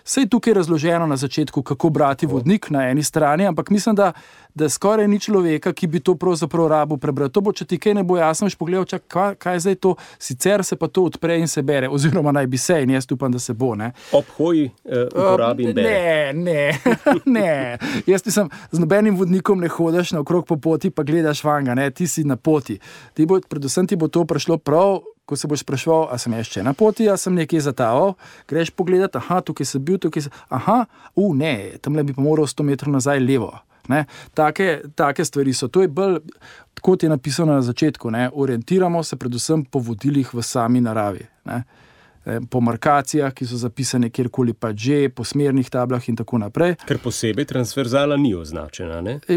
Saj tukaj je razloženo na začetku, kako brati vodnik na eni strani, ampak mislim, da, da skoraj ni človeka, ki bi to pravzaprav rabo prebrati. To bo, če ti kaj ne bo jasno, boš pogledal, čak, kaj, kaj je zdaj to, sicer se pa to odpre in se bere, oziroma naj bi se, in jaz upam, da se bo. Ne.
Ob hoji eh, uporabi in bere.
Ne, ne, ne. Jaz mislim, z nobenim vodnikom ne hodaš na okrog po poti, pa gledaš vanga, ne, ti si na poti. Ti bo, predvsem ti bo to prišlo prav, ko se boš spraševal, a sem še na poti, a sem nekje zataval, greš pogledat, aha, tukaj sem bil, tukaj sem, aha, u, ne, tamle bi pa moral sto metrov nazaj levo. Ne? Take, take stvari so. To je bolj, kot je napisano na začetku, ne? Orientiramo se predvsem po vodilih v sami naravi. Ne? Po markacijah, ki so zapisane kjerkoli pa že, po smernih tablah in tako naprej.
Ker posebej transverzala ni označena, ne?
E,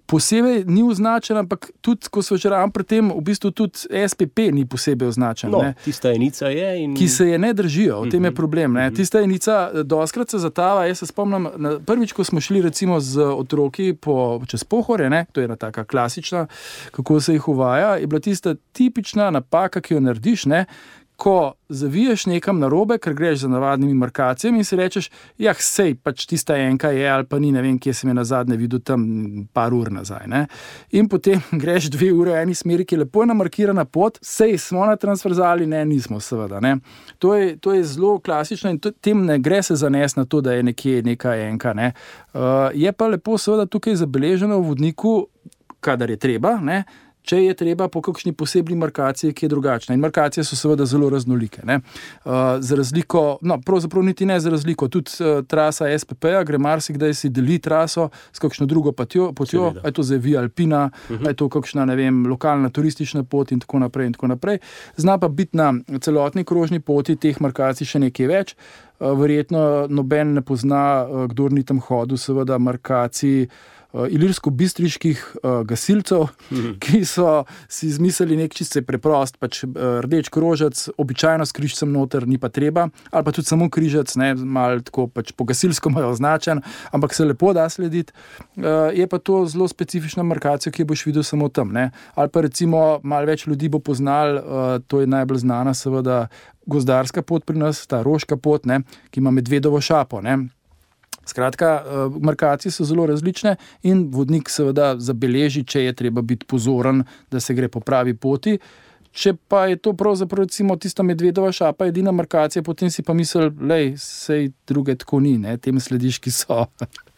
posebej ni označena, ampak tudi, ko so že ravno pri tem, v bistvu tudi S P P ni posebej označen.
No,
ne?
Tista enica je in...
Ki se je ne držijo, v tem je problem. Ne? Tista enica doskrat se zatava, jaz se spomnim, prvič, ko smo šli recimo z otroki po, čez Pohorje, ne? To je ena taka klasična, kako se jih uvaja, je bila tista tipična napaka, ki jo narediš, ne? Ko zaviješ nekam narobe, ker greš za navadnimi markacijami in si rečeš, jah, sej, pač tista enka je ali pa ni, ne vem, kje sem je nazadnje videl tam par ur nazaj. Ne? In potem greš dve ure v eni smeri, ki je lepo namarkirana pot, sej, smo na transverzali, ne, nismo seveda. Ne? To je, to je zelo klasično in to, tem ne gre se zanesti na to, da je nekje neka enka. Ne? Uh, je pa lepo seveda tukaj zabeleženo v vodniku, kadar je treba, ne? če je treba po kakšni posebni markaciji, ki je drugačna. In markacije so seveda zelo raznolike. Ne? Uh, za razliko, no, pravzaprav niti ne za razliko, tudi uh, trasa S P P-ja gre marsikdaj si deli traso s kakšno drugo potjo, potjo je to zdaj Via Alpina, uh-huh. je to kakšna, ne vem, lokalna turistična pot in tako naprej in tako naprej. Zna pa biti na celotni krožni poti teh markacij še nekaj več. Verjetno noben ne pozna, kdor ni tam hodil, seveda markacij ilirsko-bistriških gasilcev, mm-hmm. ki so si izmislili nek čisto preprost, pač rdeč krožec, običajno s križcem noter, ni pa treba, ali pa tudi samo križec, ne, malo tako pač po gasilsko imajo označen, ampak se lepo da slediti. Je pa to zelo specifična markacija, ki jo boš videl samo tam, ne. Ali pa recimo malo več ljudi bo poznal, to je najbolj znana seveda gozdarska pot pri nas, ta roška pot, ne, ki ima medvedovo šapo, ne. Skratka, markacije so zelo različne in vodnik seveda zabeleži, če je treba biti pozoren, da se gre po pravi poti. Če pa je to pravzaprav recimo tista medvedova šapa edina markacija, potem si pa misli, lej, sej druge tako ni, ne, tem slediš, ki so.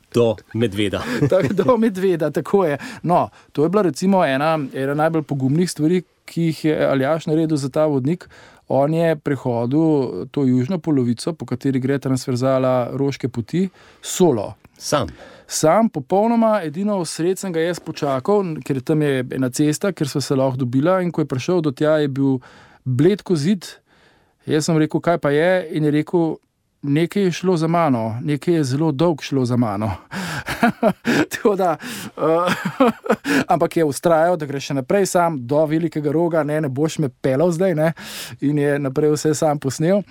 Do medveda.
Do medveda, tako je. No, to je bila recimo ena, ena najbolj pogumnih stvari, ki jih je Aljaž naredil za ta vodnik. On je prehodil to južno polovico, po kateri gre transverzala Roške poti, solo.
Sam?
Sam, popolnoma, edino sred sem ga jaz počakal, ker tam je ena cesta, ker sva se lahko dobila in ko je prišel do tja, je bil bled ko zid. Jaz sem rekel, kaj pa je, in je rekel, nekaj je šlo za mano, nekaj je zelo dolg šlo za mano. Tako da, uh, ampak je ustrajal, da gre še naprej sam do velikega roga, ne, ne boš me pelal zdaj, ne, in je naprej vse sam posnel.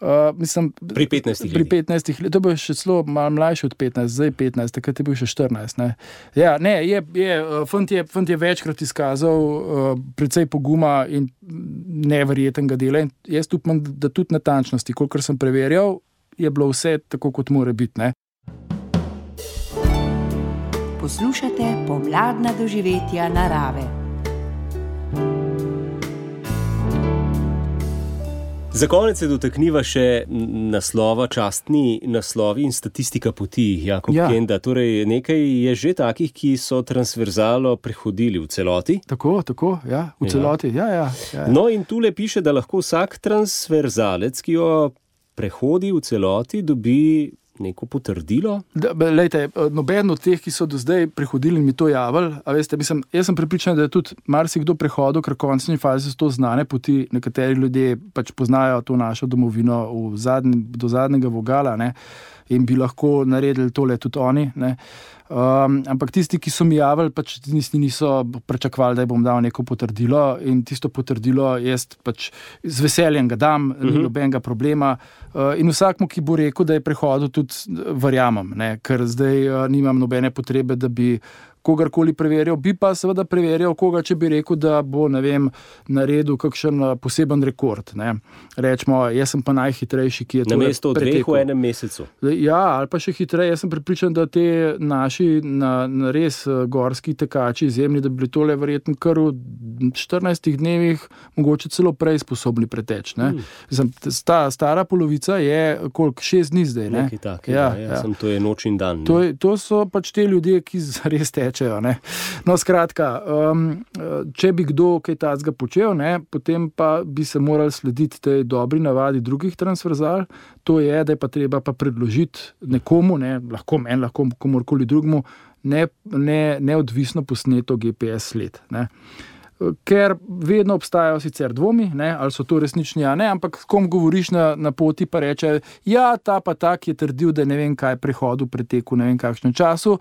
Uh, mislim,
pri petnajstih
Pri petnajstih letih, to bo še celo malo mlajši od petnajst, zdaj petnajst, takrat je bil še štirinajst, ne. Ja, ne, je, je, fant je, fant je večkrat izkazal uh, precej poguma in neverjetnega dela in jaz upam, da tudi natančnosti, kolikor sem preverjal, je bilo vse tako, kot mora biti, ne.
Poslušate pomladna doživetja narave.
Za konec se dotakniva še naslova, častni naslovi in statistika poti, Jakob ja. Kenda. Torej, nekaj je že takih, ki so transverzalo prehodili v celoti.
Tako, tako, ja, v celoti, ja, ja. ja, ja.
No in tule piše, da lahko vsak transverzalec, ki jo prehodi v celoti, dobi neko potrdilo?
Da, lejte, noben od teh, ki so do zdaj prehodili in mi to javili, a veste, mislim, jaz sem prepričan, da je tudi marsikdo prehodil, ker v končni fazi so to znane poti, nekateri ljudje pač poznajo to našo domovino v zadnji, do zadnjega vogala, ne, in bi lahko naredili tole tudi oni, ne. Um, ampak tisti, ki so mi javili, pač niso pričakovali, da bom dal neko potrdilo in tisto potrdilo jaz pač z veseljem ga dam, uh-huh. ni nobenega problema. Uh, in vsakmu, ki bo rekel, da je prehodil, tudi verjamem, ne, ker zdaj uh, nimam nobene potrebe, da bi kogarkoli preverjal, bi pa seveda preverjal koga, če bi rekel, da bo, ne vem, naredil kakšen poseben rekord, ne. Rečemo, jaz sem pa najhitrejši, ki je to pretekel.
Namesto dveh v enem mesecu.
Ja, ali pa še hitreje. Jaz sem prepričan, da te naši na, na res gorski tekači izjemni, da bi bili tole verjetno kar v štirinajstih dnevih mogoče celo prej sposobni preteč, ne. Hmm. Ta stara polovica je koliko, šest dni zdaj, ne.
Nekaj takega, ja, ja, ja. Sem, to je noč in dan.
To, to so pač te ljudje, ki res teče. Ne. No, skratka, um, če bi kdo kaj tacga počel, ne, potem pa bi se morali slediti tej dobri navadi drugih transverzal, to je, da je pa treba pa predložiti nekomu, ne, lahko meni, lahko komorkoli drugmu, ne, ne, neodvisno posneto G P S sled, ne. Ker vedno obstajajo sicer dvomi, ne, ali so to resnični, a ne, ampak kom govoriš na, na poti, pa reče, ja, ta pa tak je trdil, da ne vem kaj prehodu, preteku, ne vem kakšnem času,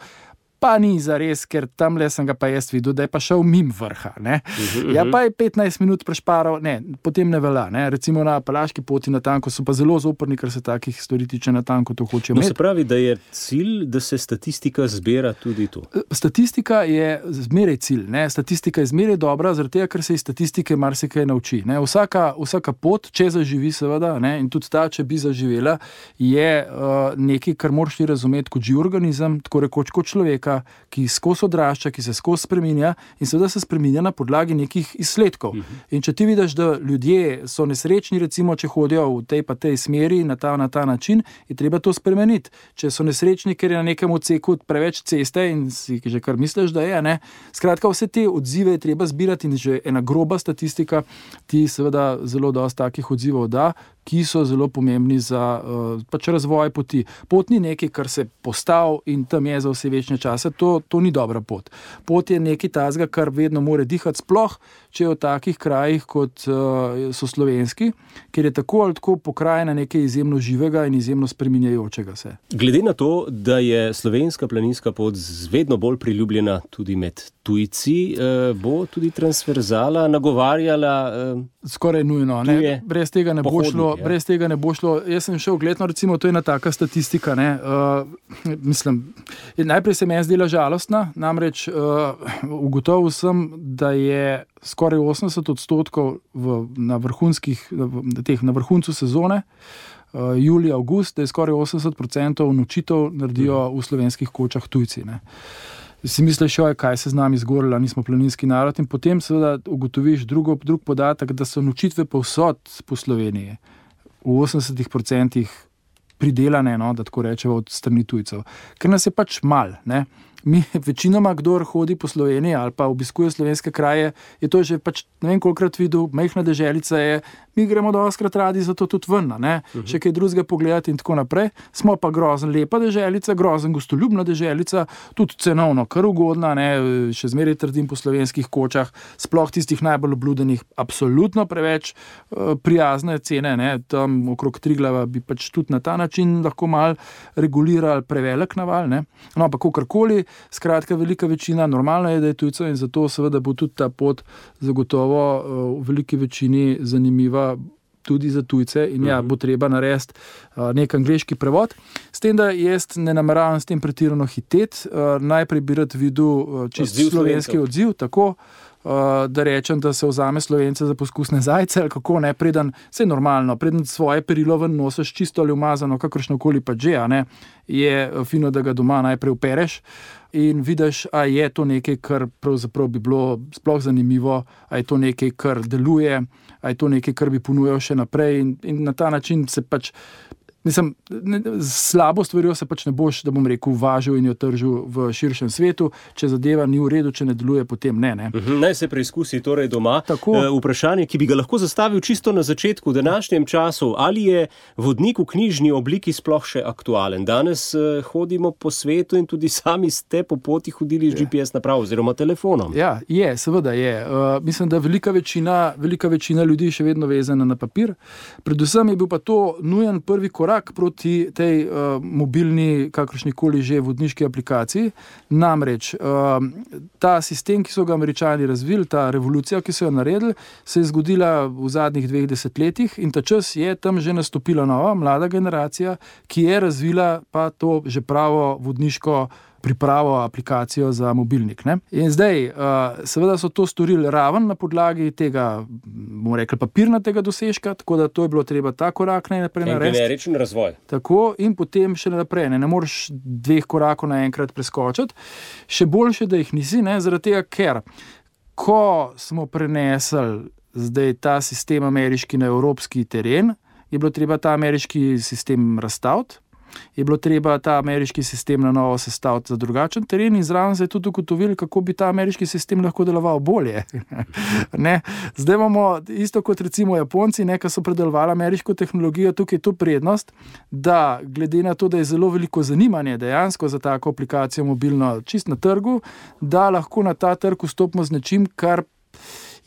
pa ni zares, ker tamle sem ga pa jaz videl, da je pa šel mim vrha, ne. Uh-huh. Ja, pa je petnajst minut prešparal, ne, potem ne velja, ne. Recimo na Apalaški poti na tanko so pa zelo zoprni, ker se takih stvari tiče na tanko, to hoče imeti.
No, se pravi, da je cilj, da se statistika zbira tudi tu.
Statistika je zmeraj cilj, ne. Statistika je zmeraj dobra, zaradi tega, ker se iz statistike marsikaj nauči, ne. Vsaka, vsaka pot, če zaživi seveda, ne, in tudi ta, če bi zaživela, je uh, nekaj, kar moraš ti razumeti kot živ organizem, tako rekoč kot človeka, znaka, ki skozi odrašča, ki se skozi spreminja in seveda se spreminja na podlagi nekih izsledkov. Uh-huh. In če ti vidiš, da ljudje so nesrečni, recimo, če hodijo v tej pa tej smeri na ta, na ta način, je treba to spremeniti. Če so nesrečni, ker je na nekem odseku preveč ceste in si že kar misliš, da je, ne. Skratka, vse te odzive je treba zbirati in že ena groba statistika ti seveda zelo dosti takih odzivov da, ki so zelo pomembni za uh, pač razvoj poti. Pot ni nekaj, kar se postav in tam je za vse večne čase, to, to ni dobra pot. Pot je nekaj tazga, kar vedno more dihati, sploh, če je v takih krajih, kot uh, so slovenski, ker je tako ali tako pokrajina nekaj izjemno živega in izjemno spreminjajočega se.
Glede na to, da je slovenska planinska pot vedno bolj priljubljena tudi med tujci, uh, bo tudi transverzala nagovarjala uh,
skoraj nujno, ne? Brez tega ne bo šlo.
Ja.
Brez tega ne bo šlo. Jaz sem šel gledno, recimo, to je ena taka statistika, ne, uh, mislim, najprej se meni zdela žalostna, namreč uh, ugotovil sem, da je skoraj osemdeset odstotkov v, na vrhunskih, na, teh, na vrhuncu sezone, uh, julij, avgust, da je skoraj osemdeset procentov nočitev naredijo v slovenskih kočah tujci, ne. Si misliš, joj, kaj se z nami zgorila, nismo planinski narod, in potem seveda ugotoviš drugo, drug podatek, da so nočitve povsod po Sloveniji v osemdesetih procentih pridelane, no, da tako rečemo, od strani tujcev. Ker nas je pač mal, ne. Mi večinoma, kdor hodi po Sloveniji ali pa obiskuje slovenske kraje, je to že pač ne vem kolikrat videl, majhna deželica je, mi gremo doskrat radi zato tudi ven, ne, uh-huh. Še kaj drugega pogledati in tako naprej. Smo pa grozen lepa deželica, grozen gostoljubna deželica, tudi cenovno kar ugodna, ne, še zmeraj trdim po slovenskih kočah, sploh tistih najbolj obludenih, absolutno preveč uh, prijazne cene, ne, tam okrog Triglava bi pač tudi na ta način lahko mal regulirali prevelik naval, ne. No, pa kakorkoli, skratka, velika večina, normalno je, da je tujcev in zato seveda bo tudi ta pot zagotovo uh, v veliki večini zanimiva tudi za tujce in ja, bo treba narediti uh, nek angleški prevod. S tem, da jaz ne nameravam s tem pretirano hiteti, uh, najprej bi rad videl uh, čisto slovenski odziv, tako, uh, da rečem, da se vzame Slovence za poskusne zajce, ali kako ne, preden, vse normalno, preden svoje perilo ven nosiš čisto ali umazano, kakršnokoli pa že, a ne, je fino, da ga doma najprej upereš in vidiš, a je to nekaj, kar pravzaprav bi bilo sploh zanimivo, a je to nekaj, kar deluje, a je to nekaj, kar bi ponujal še naprej in, in na ta način se pač, mislim, ne, slabo stvarjo se pač ne boš, da bom rekel, važil in jo tržil v širšem svetu, če zadeva ni v redu, če ne deluje, potem ne, ne.
Uhum, naj se preizkusi torej doma.
Tako.
E, vprašanje, ki bi ga lahko zastavil čisto na začetku v današnjem času, ali je vodnik v knjižni obliki sploh še aktualen? Danes e, hodimo po svetu in tudi sami ste po poti hodili z G P S napravo oziroma telefonom.
Ja, je, seveda je. Uh, mislim, da velika večina, velika večina ljudi še vedno vezana na papir. Predvsem je bil pa to nujen prvi korak proti tej uh, mobilni, kakršnikoli že vodniški aplikaciji. Namreč, uh, ta sistem, ki so ga Američani razvili, ta revolucija, ki so jo naredili, se je zgodila v zadnjih dveh desetletjih in ta čas je tam že nastopila nova, mlada generacija, ki je razvila pa to že pravo vodniško pripravo aplikacijo za mobilnik, ne. In zdaj, uh, seveda so to storili raven na podlagi tega, bomo rekli, papirnatega dosežka, tako da to je bilo treba ta korak najprej narediti.
Generičen razvoj.
Tako, in potem še naprej, ne, ne moreš dveh korakov naenkrat preskočiti. Še boljše, da jih nisi, ne, zaradi tega, ker ko smo prenesli zdaj ta sistem ameriški na evropski teren, je bilo treba ta ameriški sistem razstaviti, je bilo treba ta ameriški sistem na novo sestaviti za drugačen teren in zraven se je tudi ugotovili, kako bi ta ameriški sistem lahko deloval bolje. Ne? Zdaj imamo isto kot recimo Japonci, ne, ki so predelovali ameriško tehnologijo, tukaj je to prednost, da glede na to, da je zelo veliko zanimanje dejansko za tako aplikacijo mobilno čist na trgu, da lahko na ta trg vstopimo z nečim, kar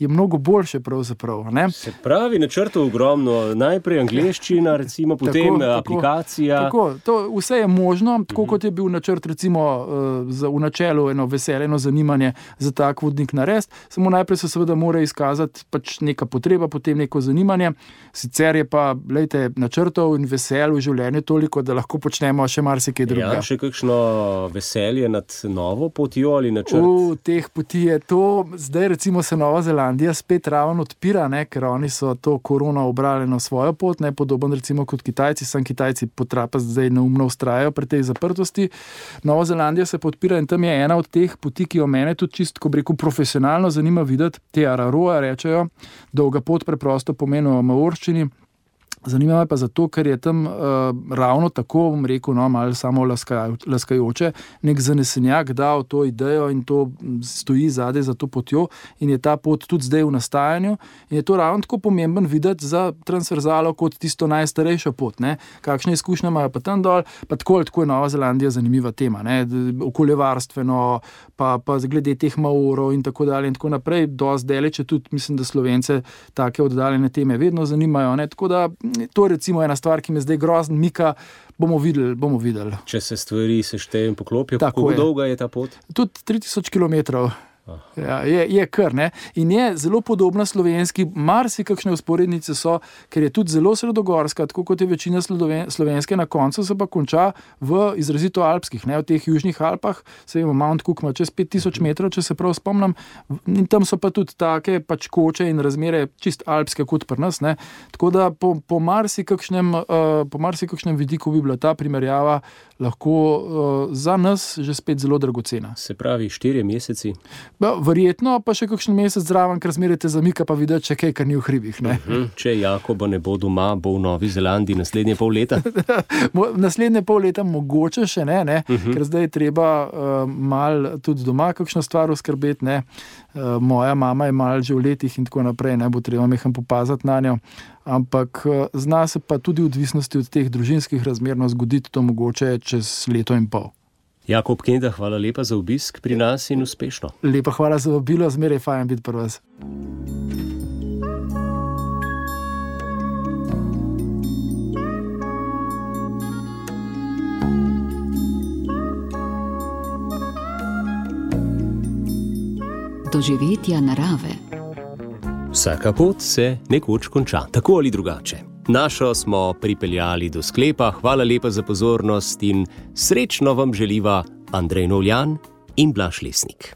je mnogo boljše pravzaprav, ne?
Se pravi, načrtov ogromno, najprej angleščina, recimo, potem tako, aplikacija.
Tako, to vse je možno, tako uh-huh. kot je bil načrt, recimo, za, v načelu eno veselje, eno zanimanje za tak vodnik narediti, samo najprej se seveda mora izkazati pač neka potreba, potem neko zanimanje, sicer je pa, glejte, načrtov in veselj v življenju toliko, da lahko počnemo še marsikaj drugega.
Ja, še kakšno veselje nad novo potjo ali načrt?
V teh poti je to, zdaj recimo se Nova Zelandija Zelandija spet ravno odpira, ne, ker oni so to korono obrali na svojo pot, ne, podoben recimo kot Kitajci, sam Kitajci potrapa zdaj neumno vztrajajo pri tej zaprtosti. Nova Zelandija se podpira in tam je ena od teh poti, ki jo mene tudi čisto, ko bi rekel, profesionalno zanima videti, te Araroa rečejo, dolga pot preprosto pomeni v maorščini. Zanima me pa zato, ker je tam uh, ravno tako, bom rekel, no, malo samo laskaj, laskajoče, nek zanesenjak dal to idejo in to stoji zadaj za to potjo in je ta pot tudi zdaj v nastajanju in je to ravno tako pomemben videti za transverzalo kot tisto najstarejšo pot, ne. Kakšne izkušnje imajo pa tam dol, pa tako ali tako je Nova Zelandija zanimiva tema, ne, okoljevarstveno, pa, pa glede teh maorov in tako dalje in tako naprej, dosti daleč je tudi, mislim, da Slovence take oddaljene teme vedno zanimajo, ne, tako da to je recimo ena stvar, ki me zdaj grozno mika, bomo videli, bomo videli.
Če se stvari seštejo in poklopijo, kako dolga je ta pot?
Tudi tri tisoč kilometrov. Ja, je, je kar, ne. In je zelo podobna slovenski, marsikakšne usporednice so, ker je tudi zelo sredogorska, tako kot je večina slovenske, na koncu se pa konča v izrazito alpskih, ne, v teh južnih Alpah, se vemo, Mount Cook ima čez pet tisoč metrov, če se prav spomnim, in tam so pa tudi take pač koče in razmere čist alpske kot pri nas, ne. Tako da po, po marsikakšnem, uh, po marsikakšnem vidiku bi bila ta primerjava lahko uh, za nas že spet zelo dragocena.
Se pravi, štirje meseci?
Ba, verjetno pa še kakšen mesec zraven, ker zmerite zamika pa videti še kaj, kar ni v hribih. Ne?
Uh-huh. Če Jakoba ne bo doma, bo v Novi Zelandiji naslednje pol leta?
Naslednje pol leta mogoče še ne, ne? Uh-huh. Ker zdaj je treba uh, mal tudi doma kakšno stvar uskrbeti. Ne? Uh, moja mama je mal že v letih in tako naprej, ne bo treba meham popazati na njo. Ampak uh, zna se pa tudi v odvisnosti od teh družinskih razmerno zgoditi to mogoče čez leto in pol.
Jakob Kenda, hvala lepa za obisk pri nas in uspešno.
Lepa hvala za vabilo, zmeraj fajn biti pri vas.
Doživetja narave.
Vsaka pot se nekoč konča, tako ali drugače. Našo smo pripeljali do sklepa, hvala lepa za pozornost in srečno vam želiva Andrej Novljan in Blaž Lesnik.